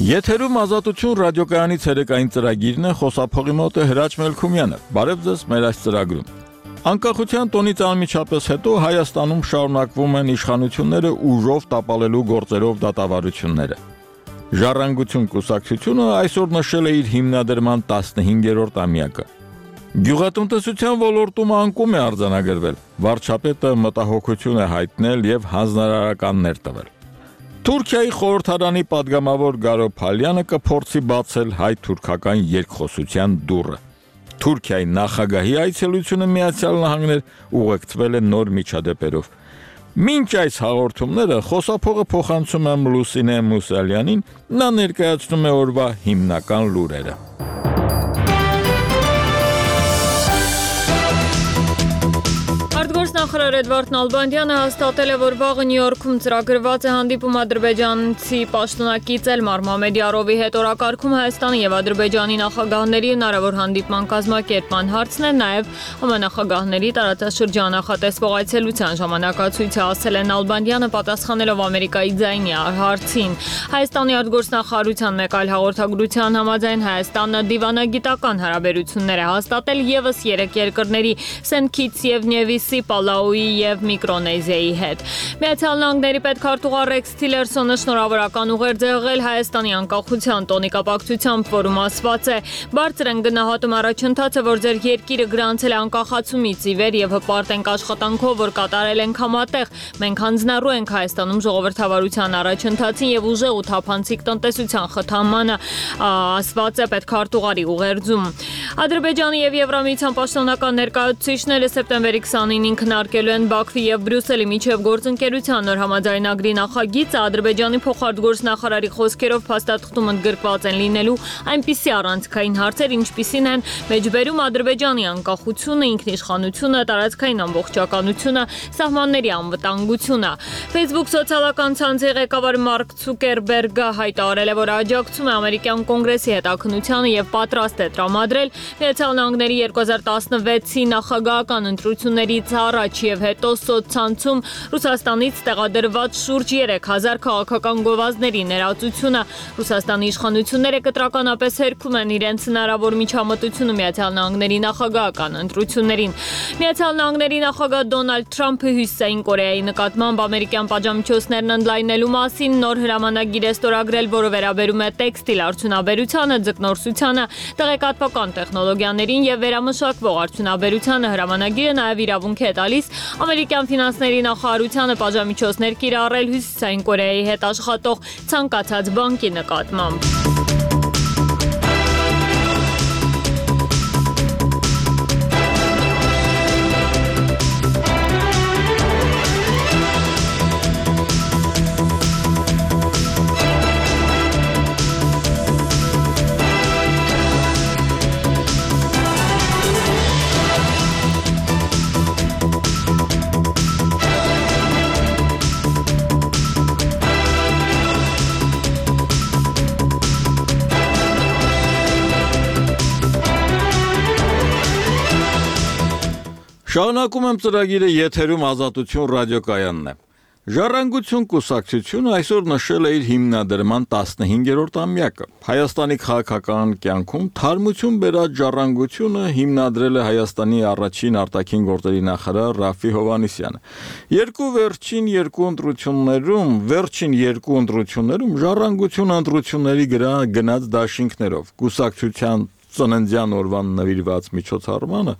Եթերում ազատություն ռադիոկայանի ցերեկային ծրագիրն է, խոսափողի մոտ է Հրաչ Մելքումյանը։ Բարև ձեզ մեր այս ծրագրում։ Անկախության տոնից անմիջապես հետո Հայաստանում շարունակվում են իշխանությունները ուժով տապալելու գործերով դատավարությունները։ Ժառանգություն կուսակցությունը այսօր նշել է իր հիմնադրման 15-րդ ամյակը։ Գյուղատնտեսության ոլորտում անկում է արձանագրվել։ Վարչապետը մտահոգություն է հայտնել եւ հանձնարարականներ տվել։ Թուրքիայի խորհրդարանի падգամավոր Գարո Փալյանը կփորձի բացել հայ-թուրքական երկխոսության դուռը։ Թուրքիայի նախագահի այցելությունը Միացյալ Նահանգներ ուղեկցվել է նոր միջադեպերով։ Մինչ այս հաղորդումները խոսափողը փոխանցում եմ Լուսինե Մուսալյանին, նա ներկայացնում է օրվա հիմնական լուրերը։ Արտգործնախարար Էդվարդ Նալբանդյանը հաստատել է, որ վաղը Նյու Յորքում ծրագրված է հանդիպում ադրբեջանցի պաշտոնակի Էլմար Մամեդյարովի հետ օրակարգում Հայաստանի եւ Ադրբեջանի նախագահների հնարավոր հանդիպման կազմակերպման հարցն է, նաեւ համանախագահների տարածաշրջան նախատեսվող այցելության ժամանակացույցը, ասել է Նալբանդյանը, պատասխանելով Ամերիկայի ձայնի հարցին։ Հայաստանի արտգործնախարարության մեկ այլ հաղորդագրության համաձայն Հայաստանը դիվանագիտական հարաբերություններ է հաստատել եւս 3 երկրների Սենթ Քիթս եւ Նևիսի, Պալաուի եւ Միկրոնեզիայի հետ։ Միացյալ Նահանգների պետքարտուղար Ռեքս Թիլերսոնը շնորհավորական ուղերձ է եղել Հայաստանի անկախության տոնի կապակցությամբ, որում ասված է. «Բարձր են գնահատում առաջընթացը, որ ձեր երկիրը գրանցել է անկախացումից ի վեր եւ հպարտ ենք աշխատանքով, որ կատարել ենք համատեղ։ Մենք հանձնառու ենք Հայաստանում ժողովրդավարության առաջընթացին եւ ուժեղ ու թափանցիկ տնտեսության խթանմանը», ասված է պետքարտուղարի ուղերձում։ Ադրբեջանի եւ Եվրամիության պաշտոնական ներկայացուցիչները սեպտեմբերի 29-ին քննարկելու են Բաքվի եւ Բրյուսելի միջև գործընկերության նոր համաձայնագրի նախագիծը։ Ադրբեջանի փոխարտգործնախարարի խոսքերով փաստաթղթում ընդգրկված են լինելու այնպիսի առանցքային հարցեր, ինչպիսին են մեջբերում Ադրբեջանի անկախությունը, ինքնիշխանությունը, տարածքային ամբողջականությունը, սահմանների անվտանգությունը։ Facebook սոցիալական ցանցի ղեկավար Մարկ Ցուկերբերգը հայտարարել է, որ աջակցում է ամերիկյան կոնգրեսի հետաքննությանը եւ պատրաստ է տրամադրել Միացյալ Նահանգների 2016-ի նախագահական ընտրություններից առաջ եւ հետո սոցցանցում Ռուսաստանից տեղադրված շուրջ 3000 քաղաքական գովազդների ներածությունը։ Ռուսաստանի իշխանությունները կտրականապես հերքում են իրենց հնարավոր միջամտությունը Միացյալ Նահանգների նախագահական ընտրություններին։ Միացյալ Նահանգների նախագահ Դոնալդ Թրամփը Հյուսիսային Կորեայի նկատմամբ ամերիկյան պատժամիջոցներն ընդլայնելու մասին նոր հրամանագիր է ստորագրել, որը վերաբերում է տեքստիլ արդյունաբերությանը, ձկնորսությանը, տեղեկատվական տեխնոլոգիաներին եւ վերամշակվող արդյունաբերությանը։ Հրամանագիրը նաեւ իրավունք է տալիս ամերիկյան ֆինանսների նախարարությանը պատժամիջոցներ կիրառել Հյուսիսային Կորեայի հետ աշխատող ցանկացած բանկի նկատմամբ։ Շարունակում եմ ծրագիրը, եթերում ազատություն ռադիոկայանն է։ Ժառանգություն կուսակցությունը այսօր նշել է իր հիմնադրման 15-րդ ամյակը։ Հայաստանի քաղաքական կյանքում թարմություն բերած Ժառանգությունը հիմնադրել է Հայաստանի առաջին արտաքին գործերի նախարար Ռաֆֆի Հովհաննիսյանը։ Վերջին երկու ընտրություններում Ժառանգությունը ընտրությունների գնաց դաշինքներով։ Կուսակցության ծննդյան օրվան նվիրված միջոցառմանը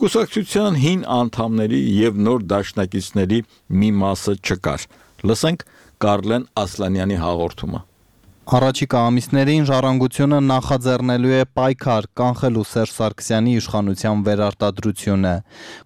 կուսակցության հին անդամների եւ նոր դաշնակիցների մի մասը չկար։ Լսենք Կարլեն Ասլանյանի հաղորդումը։ Առաջիկա ամիսներին Ժառանգությունը նախաձեռնելու է պայքար կանխելու Սերժ Սարգսյանի իշխանության վերարտադրությունը։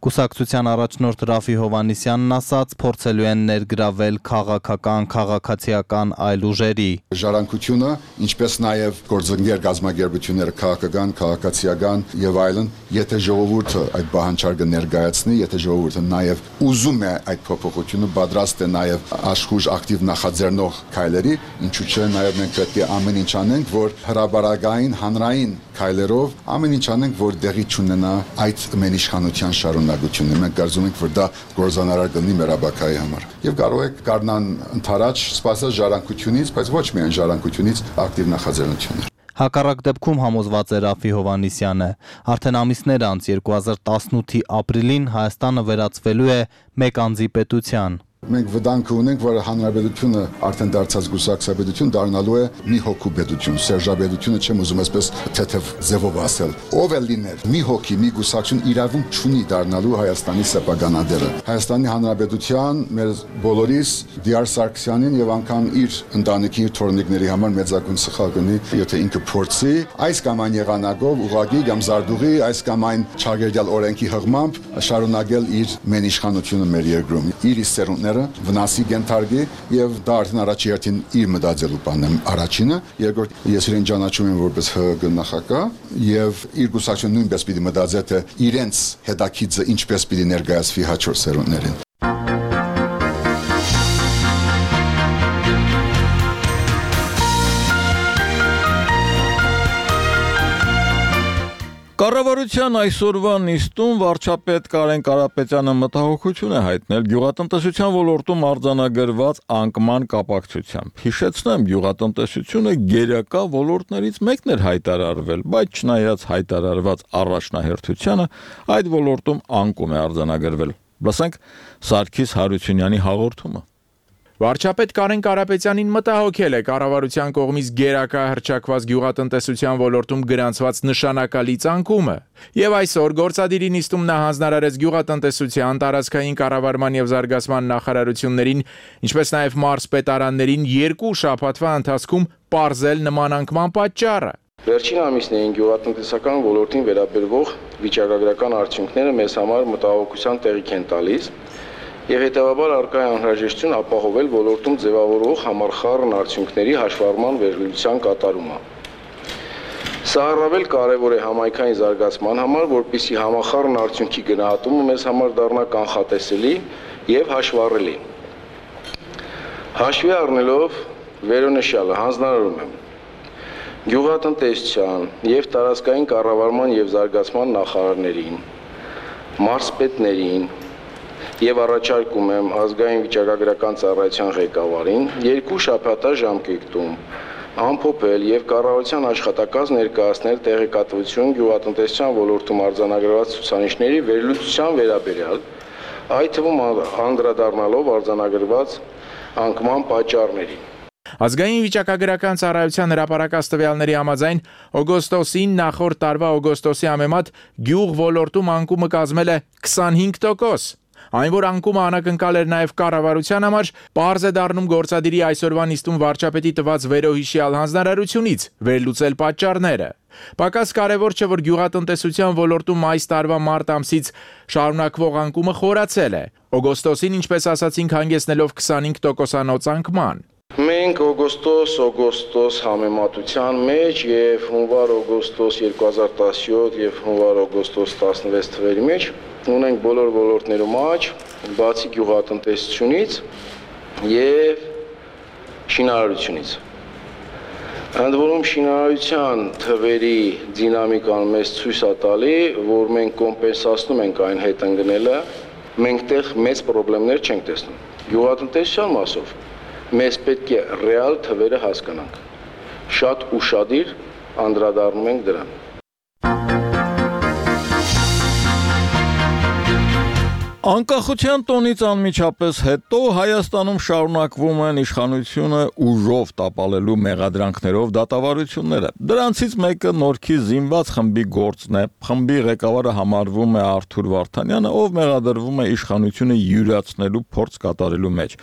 Կուսակցության առաջնորդ Ռաֆֆի Հովհաննիսյանն ասաց, փորձելու են ներգրավել քաղաքական, քաղաքացիական այլ ուժերի։ Ժառանգությունը, ինչպես նաև գործընկեր գազམ་ագերբությունները քաղաքական, քաղաքացիական եւ այլն, եթե ժողովուրդը այդ բանջարը ներկայացնի, եթե ժողովուրդը նաև ուզում է այդ փոփոխությունը, պատրաստ է նաև աշխուժ ակտիվ նախաձեռնող քայլերի, ինչու՞ չէ նաև մենք մենք պետք է ամեն ինչ անենք, որ հրաբարակային հանրային քայլերով ամեն ինչ անենք, որ դեղի չունենա այդ մեն իշխանության շարունակությունը։ Մենք կարծում ենք, որ դա գործանարար կլինի մեր ապակայի համար։ Եվ կարող եք կառնան ընթരാճ սպասել ժառանգությունից, բայց ոչ միայն ժառանգությունից ակտիվ նախաձեռնություններ։ Հակառակ դեպքում համոզված է Ռաֆի Հովհաննիսյանը, արդեն ամիսներ անց 2018-ի ապրիլին Հայաստանը վերածվելու է մեկ անձի պետության։ Մենք վտանգ ունենք, որ հանրապետությունը արդեն դարձած գուսակցապետություն դառնալու է մի հոգու պետություն, սերժապետությունը չեմ ուզում այսպես թեթև ձևով ասել։ Ով է լինել մի հոգի, մի գուսակցություն իրավունք չունի դառնալու Հայաստանի սեփականատերը։ Հայաստանի հանրապետության մեր բոլորիս Դիար Սարգսյանին եւ անգամ իր ընտանիքի իր թորնիկների համար մեծագույն սխալ կնի, եթե ինքը փորձի այս կամ այն եղանակով ուղղակի կամ զարդուղի, այս կամ այն չագերդյալ օրենքի հղմամբ շարունակել իր մեն իշխանությունը մեր երկրում։ Իր սերունդները վնասի կենթարկի եւ դա արդեն առաջի հերթին իր մտածելու բանն է առաջինը, երկրորդ ես իրեն ճանաչում եմ որպես ՀՀԿ նախագահ եւ իր գուսակցությունը նույնպես պիտի մտածի թե իրենց հետաքիծը ինչպես պիտի ներկայացվի հաջորդ սերունդներին։ Կառավարության այսօրվա նիստում վարչապետ Կարեն Կարապետյանը մտահոգություն է հայտնել գյուղատնտեսության ոլորտում արձանագրված անկման կապակցությամբ։ Հիշեցնեմ, գյուղատնտեսությունը գերակա ոլորտներից մեկն էր հայտարարվել, բայց չնայած հայտարարված առաջնահերթությանը, այդ ոլորտում անկում է արձանագրվել։ Լսենք Սարգիս Հարությունյանի հաղորդումը։ Վարչապետ Կարեն Կարապետյանին մտահոգել է կառավարության կողմից գերակա հռչակված գյուղատնտեսության ոլորտում գրանցված նշանակալի ցանկումը։ Եվ այսօր գործադիրի նիստում նա հանձնարարեց գյուղատնտեսության, տարածքային կառավարման եւ զարգացման նախարարություններին, ինչպես նաեւ մարզպետարաններին 2 շաբաթվա ընթացքում պարզել նման անկման պատճառը։ Վերջին ամիսներին գյուղատնտեսական ոլորտին վերաբերող վիճակագրական արդյունքները մեզ համար մտահոգության տեղիք են տալիս։ Եվ հետևաբար առկա է անհրաժեշտություն ապահովել ոլորտում ձևավորող համախառն արդյունքների հաշվառման վերլուծության կատարումը։ Սա առավել կարևոր է համայնքային զարգացման համար, որպեսզի համախառն արդյունքի գնահատումը մեզ համար դառնա կանխատեսելի եւ հաշվառելի։ Հաշվի առնելով վերոնշյալը հանձնարարում եմ գյուղատնտեսության եւ տարածքային կառավարման եւ զարգացման նախարարներին, մարզպետներին եւ առաջարկում եմ ազգային վիճակագրական ծառայության ղեկավարին 2 շաբաթա ժամկետում ամփոփել եւ կառավարության աշխատակաց ներկայացնել տեղեկատվություն գյուղատնտեսության ոլորտում արձանագրված ցուցանիշների վերլուծության վերաբերյալ, այդ թվում անդրադառնալով արձանագրված անկման պատճառներին։ Ազգային վիճակագրական ծառայության հրապարակած տվյալների համաձայն օգոստոսին նախորդ տարվա օգոստոսի համեմատ գյուղ ոլորտում անկումը կազմել է 25%։ Այն որ անկումը անակնկալ էր նաև կառավարության համար, պարզ է դառնում գործադիրի այսօրվա նիստում վարչապետի տված վերոհիշյալ հանձնարարությունից վերլուծել պատճառները։ Պակաս կարևոր չէ, որ գյուղատնտեսության ոլորտում այս տարվա մարտ ամսից շարունակվող անկումը խորացել է։ Օգոստոսին, ինչպես ասացինք, հանգեցնելով 25%-անոց անկման։ Մենք օգոստոս համեմատության մեջ եւ հունվար-օգոստոս 2017 եւ հունվար-օգոստոս 16 թվերի մեջ ունենք բոլոր ոլորտներում աճ, բացի գյուղատնտեսությունից եւ շինարարությունից։ Ընդ որում շինարարության թվերի դինամիկան մեզ ցույց է տալի, որ մենք կոմպենսացնում ենք այն հետընկնելը, մենք տեղ մեծ խնդիրներ չենք տեսնում։ Գյուղատնտեսության մասով մեզ պետք է ռեալ թվերը հասկանանք։ Շատ ուշադիր անդրադառնում ենք դրան։ Անկախության տոնից անմիջապես հետո Հայաստանում շարունակվում են իշխանությունը ուժով տապալելու մեղադրանքներով դատավարությունները։ Դրանցից մեկը Նորքի զինված խմբի գործն է։ Խմբի ղեկավարը համարվում է Արթուր Վարդանյանը, ով մեղադրվում է իշխանությունը յուրացնելու փորձ կատարելու մեջ։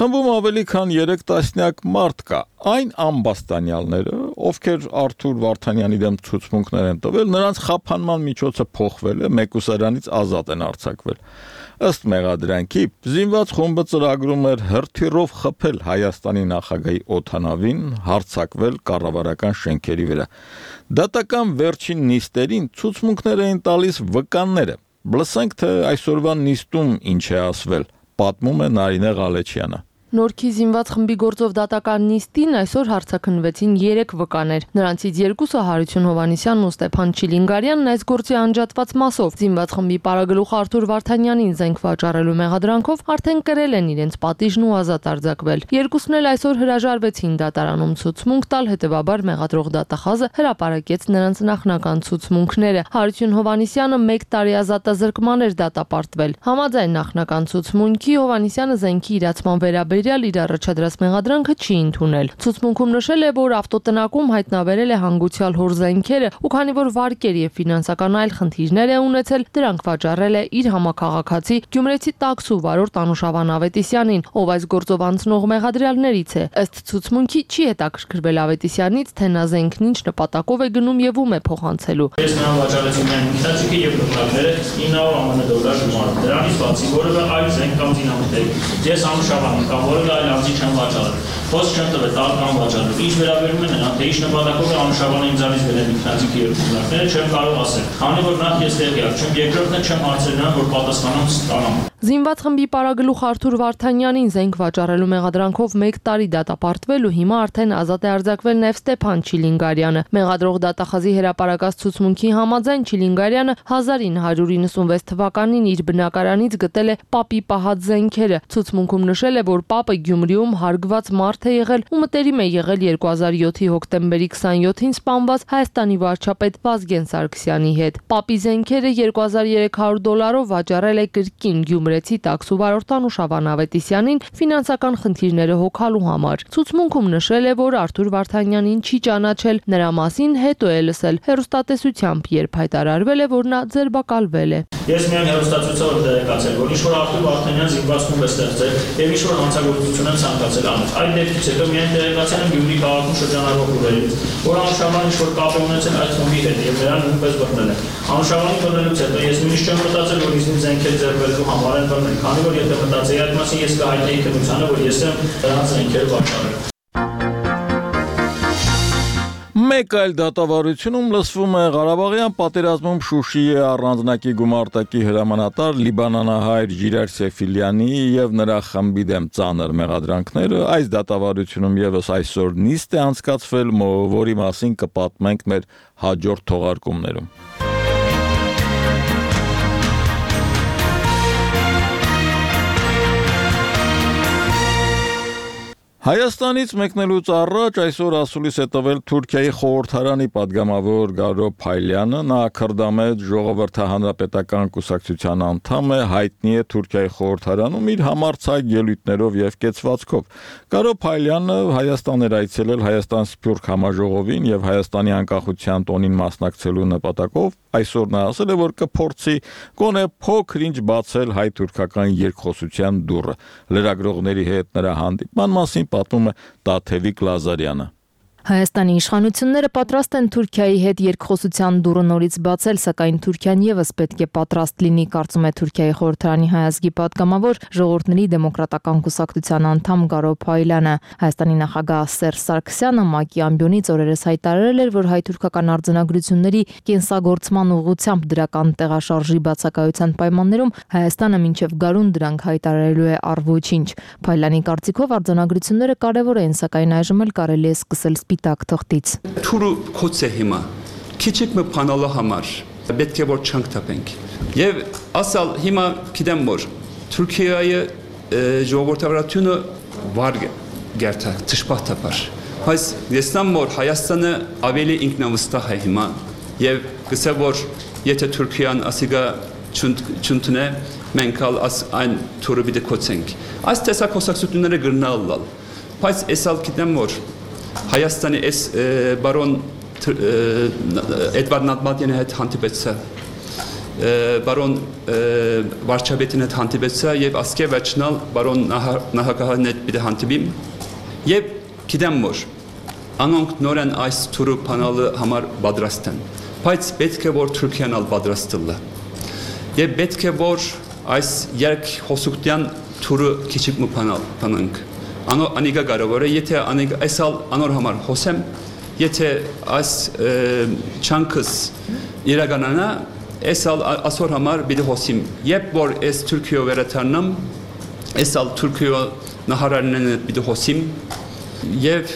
Խմբում ավելի քան 3 տասնյակ մարդ կա։ Այն ամբաստանյալները, ովքեր Արթուր Վարդանյանի դեմ ցուցմունքներ են տվել, նրանց խափանման միջոցը փոխվել է, մեկուսարանից ազատ են արձակվել։ Ըստ մեղադրանքի, զինված խումբը ծրագրում էր հրթիռով խփել Հայաստանի նախագահի օդանավին, հարձակվել կառավարական շենքերի վրա։ Դատական վերջին նիստերին ցուցմունքներ էին տալիս վկանները։ Լսենք, թե այսօրվա նիստում ինչ է ասվել, պատմում է Նարինե Ղալեչյանը։ Նորքի զինված խմբի գործով դատական նիստին այսօր հարցաքննվեցին 3 վկաներ։ Նրանցից 2-ը Հարություն Հովհաննիսյանն ու Ստեփան Չիլինգարյանն այս գործի անջատված մասով զինված խմբի պարագլուխ Արթուր Վարդանյանին զենք վաճառելու մեղադրանքով արդեն կրել են իրենց պատիժն ու ազատ արձակվել։ Երկուսն էլ այսօր հրաժարվեցին դատարանում ցուցմունք տալ, հետևաբար մեղադրող դատախազը հրապարակեց նրանց նախնական ցուցմունքները։ Հարություն Հովհաննիսյանը 1 տարի ազատազրկման էր դատապարտվել։ Համաձայն նախնական ցուցմունքի Հովհաննիսյանը զենքի իրացման վերաբերյալ իր առաջադրած մեղադրանքը չի ընդունել։ Ցուցմունքում նշել է, որ ավտոտնակում հայտնաբերել է հանգուցյալ հոր զենքերը ու քանի որ վարկեր եւ ֆինանսական այլ խնդիրներ է ունեցել, դրանք վաճառել է իր համակարգացի Գյումրեցի տաքսու վարորդ Անուշավան Ավետիսյանին, ով այս գործով անցնող մեղադրյալներից է։ Ըստ ցուցմունքի չի հետաքրքրվել Ավետիսյանից, թե նա զենքն ինչ նպատակով է գնում եւ ում է փոխանցելու։ Ես նրան վաճառեցի միայն ինքնաճիգը եւ նկարները 900 դոլար գումար։ Դրանից բացի որևէ այլ զենք կամ զինամթերք։ Ես Անուշավանին կամ որևէ այլ անձի չեմ վաճառել։ Խոսք չեմ տվել տալ կամ վաճառել։ Ինչ վերաբերում է նրան, թե ինչ նպատակով է Անուշավանը ինձանից գնել ինքնաճիգի եւ նկարները, չեմ կարող ասել։ Քանի որ նախ ես տեղյակ չեմ, երկրորդն է չեմ հարցրել նրան, որ պատասխանեմ ստանամ։ Զինված խմբի պարագլուխ Արթուր Վարդանյանին զենք վաճառելու մեղադրանքով 1 տարի դատապարտվել ու հիմա արդեն ազատ է արձակվել նաև Ստեփան Չիլինգարյանը։ Մեղադրող դատախազի հրապարակած ցուցմունքի համաձայն Չիլինգարյանը 1996 թվականին իր բնակարանից գտել է պապի պահած զենքերը։ Ցուցմունքում նշել է, որ պապը Գյումրիում հարգված մարդ է եղել ու մտերիմ է եղել 2007-ի հոկտեմբերի 27-ին սպանված Հայաստանի վարչապետ Վազգեն Սարգսյանի հետ։ Պապի զենքերը $2300 վաճառել է կրկին Գյումրեցի տաքսու վարորդ Անուշավան Ավետիսյանին ֆինանսական խնդիրները հոգալու համար։ Ցուցմունքում նշել է, որ Արթուր Վարդանյանին չի ճանաչել, նրա մասին հետո է լսել հեռուստատեսությամբ, երբ հայտարարվել է, որ նա ձերբակալվել է։ Ես միայն հեռուստացույցով տեղեկացել, որ ինչ-որ Արթուր Վարդանյան զինված խումբ է ստեղծել եւ ինչ-որ հանցագործություն են ցանկացել անել։ Այդ դեպքից հետո միայն տեղեկացել եմ Գյումրի քաղաքում շրջանառվող լուրերից, որ Անուշավանը ինչ-որ կապ է ունեցել այդ խմբի հետ եւ նրան նույնպես բռնել են։ Անուշավանի բռնելուց հետո ես նույնիսկ չեմ մտածել, որ ինձ զենքեր ձեռբերելու համար են բռնել, քանի որ եթե մտածեի այդ մասին, ես կհայտնեի քննությանը, որ ես եմ նրանց զենքեր վաճառել։ Մեկ այլ դատավարությունում լսվում է Ղարաբաղյան պատերազմում Շուշիի առանձնակի գումարտակի հրամանատար լիբանանահայր Ժիրայր Սեֆիլյանի եւ նրա խմբի դեմ ծանր մեղադրանքները։ Այս դատավարությունում եւս այսօր նիստ է անցկացվել, որի մասին կպատմենք մեր հաջորդ թողարկումներում։ Հայաստանից մեկնելուց առաջ այսօր ասուլիս է տվել Թուրքիայի խորհրդարանի падգամավոր Գարո Փայլյանը, նա քրդամետ ժողովրդահանրապետական կուսակցության անդամ է, հայտնի է Թուրքիայի խորհրդարանում իր համարձակ ելույթներով եւ կեցվածքով։ Գարո Փայլյանը Հայաստան էր այցելել Հայաստան Սփյուռք համաժողովին եւ Հայաստանի անկախության տոնին մասնակցելու նպատակով, այսօր նա ասել է, որ կփորձի գոնե փոքր-ինչ բացել հայ-թուրքական երկխոսության դուռը։ Լրագրողների հետ նրա հանդիպման մասին պատմում է Տաթևիկ Լազարյանը։ Հայաստանի իշխանությունները պատրաստ են Թուրքիայի հետ երկխոսության դուռը նորից բացել, սակայն Թուրքիան եւս պետք է պատրաստ լինի, կարծում է Թուրքիայի խորհրդարանի հայազգի падգամավոր Ժողովրդների դեմոկրատական կուսակցության անդամ Գարո Փայլյանը։ Հայաստանի նախագահ Սերժ Սարգսյանը ՄԱԿ-ի ամբիոնից օրերս հայտարարել էր, որ հայ-թուրքական արձանագրությունների կենսագործման ուղղությամբ դրական տեղաշարժի բացակայության պայմաններում Հայաստանը մինչև գարուն դրանք հայտարարելու է առ ոչինչ։ Փայլյանի կարծիքով արձանագրությունները կարևոր են, սակայն այժմ էլ կարելի է սկսել սպիտակ թղթից։ Թուրը կոց է հիմա, քիչիկ մը փանալու համար, պետք է որ չանք տապենք։ Եվ ասալ հիմա գիտեմ որ Թուրքիայի ժողովրդավարությունը վարգ գերտա ճշմարտաբար։ Բայց եսնամ որ Հայաստանը ավելի ինքնավստահ է հիմա եւ գսե որ եթե Թուրքիան ասիգա չունտնե մենք այն թուրը պիտի կոչենք։ Այս տեսակ խոսակցությունները գրնալալ։ Բայց էսալ գիտեմ որ Հայաստանի էս բարոն Էդվարդ Նատմատյանի հետ հանդիպեցա, բարոն վարչապետին հետ հանդիպեցա եւ ասկե վերջնալ բարոն նախագահին հետ պիտի հանդիպիմ եւ գիտեմ որ անոնք նորեն այս թուրը փանալը համար պատրաստ են, բայց պետք է որ Թուրքիան ալ պատրաստ լա եւ պետք է որ այս երկխոսության թուրը քիչիկ մը փանանք Անիգա կարևոր է, եթե այսալ անոր համար խոսեմ, եթե այս չանքս իրականանա, այսալ ասոր համար պիտի խոսիմ։ Երբ որ այս Թուրքիո վերադառնամ, այսալ Թուրքիո նահարարներն հետ պիտի հոսիմ եւ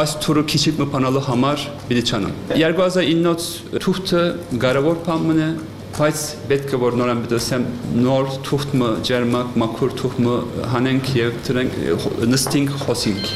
այս թուրը քիչիկ մփանալու համար պիտի չանամ 2009 թուղթը կարևոր բան է բայց պետք է որ նորան բդոսեմ նոր թուղթը ջերմակ մաքուր թուղթը հանենք եւ դրանք նստենք խոսենք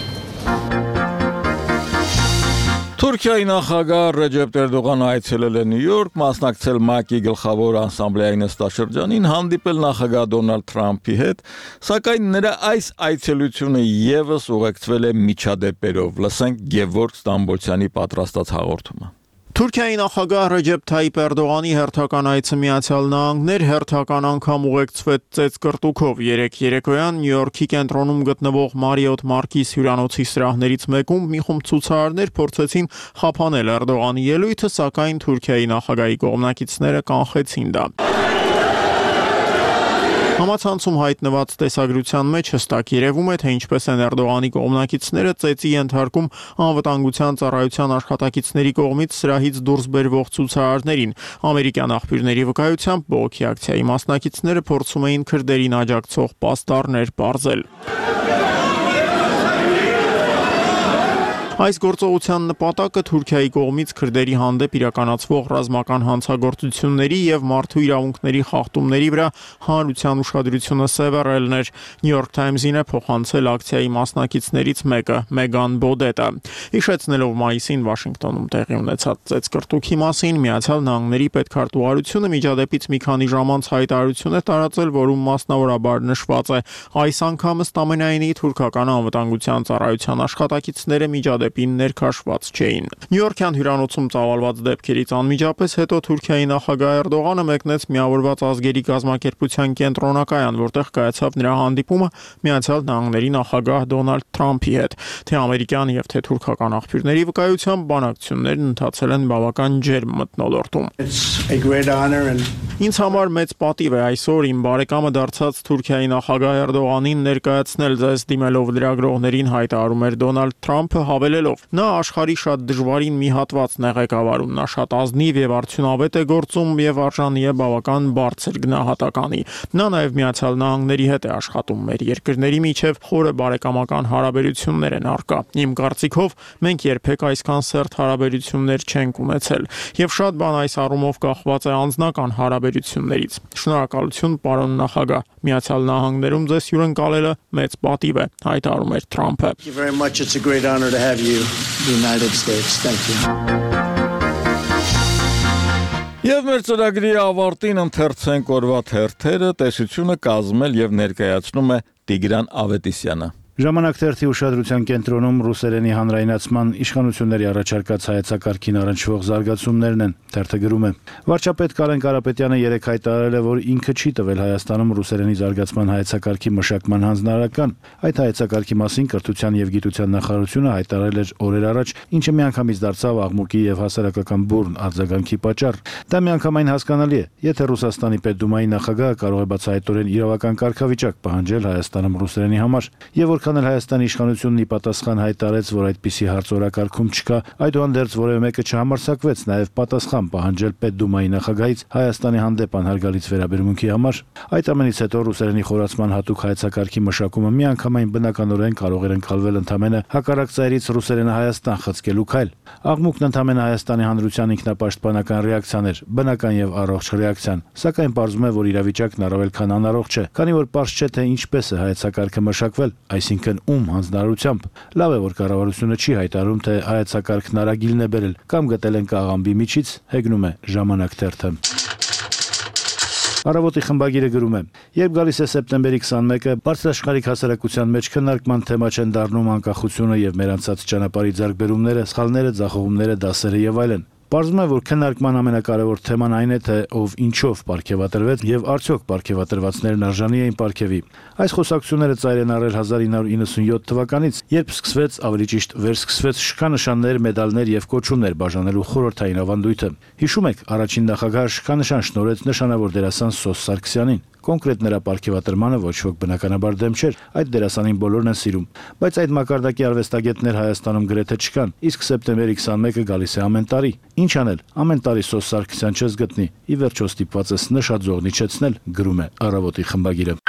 Թուրքիայի նախագահ Ռեջեփ Էրդողանը այցելել է Նյու Յորք, մասնակցել ՄԱԿ-ի գլխավոր ասամբլեայի նստաշրջանին, հանդիպել նախագահ Դոնալդ Թրամփի հետ, սակայն նրա այս այցելությունը եւս ուղեկցվել է միջադեպերով։ Լսենք Գևորգ Ստամբոլցյանի պատրաստած հաղորդումը։ Թուրքիայի նախագահ Ռեջեփ Թայիփ Էրդողանի հերթական այցը Միացյալ Նահանգներ հերթական անգամ ուղեկցվեց ծեծկրտուքով 3 երեկոյան Նյու Յորքի կենտրոնում գտնվող Մարիոթ Մարկիս հյուրանոցի սրահներից մեկում մի խումբ ցուցարարներ փորձեցին խափանել Էրդողանի ելույթը, սակայն Թուրքիայի նախագահի կողմնակիցները կանխեցին դա։ Համացանցում հայտնված տեսագրության մեջ հստակ երևում է, թե ինչպես են Էրդողանի կողմնակիցները ծեծի ենթարկում անվտանգության ծառայության աշխատակիցների կողմից սրահից դուրս բերվող ցուցարարներին։ Ամերիկյան աղբյուրների վկայությամբ բողոքի ակցիայի մասնակիցները փորձում էին քրդերին աջակցող պաստառներ պարզել։ Այս գործողության նպատակը Թուրքիայի կողմից քրդերի հանդեպ իրականացվող ռազմական հանցագործությունների եւ մարդու իրավունքների խախտումների վրա հանրության ուշադրությունը սևեռելն էր։ New York Times-ին է փոխանցել ակցիայի մասնակիցներից մեկը՝ Մեգան Բոդետը։ Հիշեցնելով մայիսին Վաշինգտոնում տեղի ունեցած ծեծկրտուքի մասին, Միացյալ Նահանգների պետքարտուղարությունը միջադեպից մի քանի ժամ անց հայտարարություն է տարածել, որում մասնավորաբար նշված է. այս անգամ ըստ ամենայնի թուրքական անվտանգության ծառայության աշխատակիցները միջադեպին ներքաշված չէին։ Նյու-Յորքյան հյուրանոցում ծավալված դեպքերից անմիջապես հետո Թուրքիայի նախագահ Էրդողանը մեկնեց Միավորված ազգերի կազմակերպության կենտրոնակայան, որտեղ կայացավ նրա հանդիպումը Միացյալ Նահանգների նախագահ Դոնալդ Թրամփի հետ։ Թե ամերիկյան եւ թե թուրքական աղբյուրների վկայությամբ բանակցություններն ընթացել են բավական ջերմ մթնոլորտում։ Ինձ համար մեծ պատիվ է այսօր իմ բարեկամը դարձած Թուրքիայի նախագահ Էրդողանին ներկայացնել ձեզ դիմելով լրագրողներին հայտարարում էր Դոնալդ Թրամփը հավելելով. նա աշխարհի շատ դժվարին մի հատվածն է ղեկավարում, նա շատ ազնիվ եւ արդյունավետ է գործում եւ արժանի է բավական բարձր գնահատականի։ Նա նաեւ Միացյալ Նահանգների հետ է աշխատում, մեր երկրների միջև խորը բարեկամական հարաբերություններ են առկա։ Իմ կարծիքով մենք երբեք այսքան սերտ հարաբերություններ չենք ունեցել եւ շատ բան այս առումով կախված է անձնական հարաբերություններից։ Շնորհակալություն, պարոն նախագահ, Միացյալ Նահանգներում ձեզ հյուրընկալելը մեծ պատիվ է, հայտարարում էր Թրամփը։ Եվ մեր ծրագրի ավարտին ընթերցենք օրվա թերթերը, տեսությունը կազմել եւ ներկայացնում է Տիգրան Ավետիսյանը։ Ժամանակ թերթի ուշադրության կենտրոնում ռուսերենի հանրայնացման իշխանությունների առաջարկած հայեցակարգին առնչվող զարգացումներն են, թերթը գրում է. Վարչապետ Կարեն Կարապետյանը երեկ հայտարարել է, որ ինքը չի տվել Հայաստանում ռուսերենի զարգացման հայեցակարգի մշակման հանձնարարական։ Այդ հայեցակարգի մասին Կրթության եւ Գիտության նախարարությունը հայտարարել էր օրեր առաջ, ինչը միանգամից դարձավ աղմուկի եւ հասարակական բուրն արձագանքի պատճառ։ Դա միանգամայն հասկանալի է, եթե Ռուսաստանի Պետդումայի նախագահը կարող է բացահայտորեն իրավական կարգավիճակ պահանջել Հայաստանում ռուսերենի համար, եւ որքան էլ Հայաստանի իշխանությունն ի պատասխան հայտարարեց, որ այդպիսի հարց օրակարգում չկա, այդուհանդերձ որևէ մեկը չհամարձակվեց նաեւ պատասխան պահանջել Պետդումայի նախագահից Հայաստանի հանդեպ անհարգալից վերաբերմունքի համար։ Այդ ամենից հետո ռուսերենի խորացման հատուկ հայեցակարգի մշակումը միանգամայն բնականորեն կարող էր ընկալվել ընդամենը հակառակ ծայրից ռուսերենը Հայաստան խցկելու քայլ։ Աղմուկն ընդամենը Հայաստանի հանրության ինքնապաշտպանական ռեակցիան էր, բնական եւ առողջ ռեակցիան, սակայն պարզվում է, որ իրավիճակն առավել քան անառողջ է, քանի որ պարզ չէ, թե ինչպես է հայեցակարգը մշակվել, այսինքն ում հանձնարարությամբ։ Լավ է, որ կառավարությունը չի հայտարարում, թե հայեցակարգն արագիլն է բերել կամ գտել են կաղամբի միջից, հեգնում է Ժամանակ թերթը։ Առավոտի խմբագիրը գրում է. երբ գալիս է սեպտեմբերի 21-ը, բարձրաշխարհիկ հասարակության մեջ քննարկման թեմա չեն դառնում անկախությունը եւ մեր անցած ճանապարհի ձեռքբերումները, սխալները, ձախողումները, դասերը եւ այլն։ Պարզվում է, որ քննարկման ամենակարևոր թեման այն է, թե ով ինչով պարգևատրվեց եւ արդյոք պարգևատրվածներն արժանի էին պարգևի։ Այս խոսակցությունները ծայր են առել 1997 թվականից, երբ սկսվեց, ավելի ճիշտ վերսկսվեց շքանշաններ, մեդալներ եւ կոչումներ բաժանելու խորհրդային ավանդույթը։ Հիշում եք, առաջին նախագահը շքանշան շնորհեց նշանավոր դերասան Սոս Սարգսյանին։ Կոնկրետ նրա պարգևատրմանը ոչ ոք բնականաբար դեմ չէր, այդ դերասանին բոլորն են սիրում, բայց այդ մակարդակի արվեստագետներ Հայաստանում գրեթե չկան, իսկ սեպտեմբերի 21-ը գալիս է ամեն տարի։ Ինչ անել, ամեն տարի Սոս Սարգսյան չես գտնի, ի վերջո ստիպված ես նշաձողն իջեցնել, գրում է Առավոտի խմբագիրը։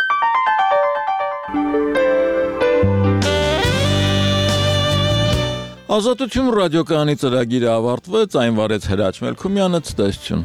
Ազատություն ռադիոկայանի ծրագիրը ավարտվեց, այն վարեց Հրաչ Մելքումյանը, ցտեսություն։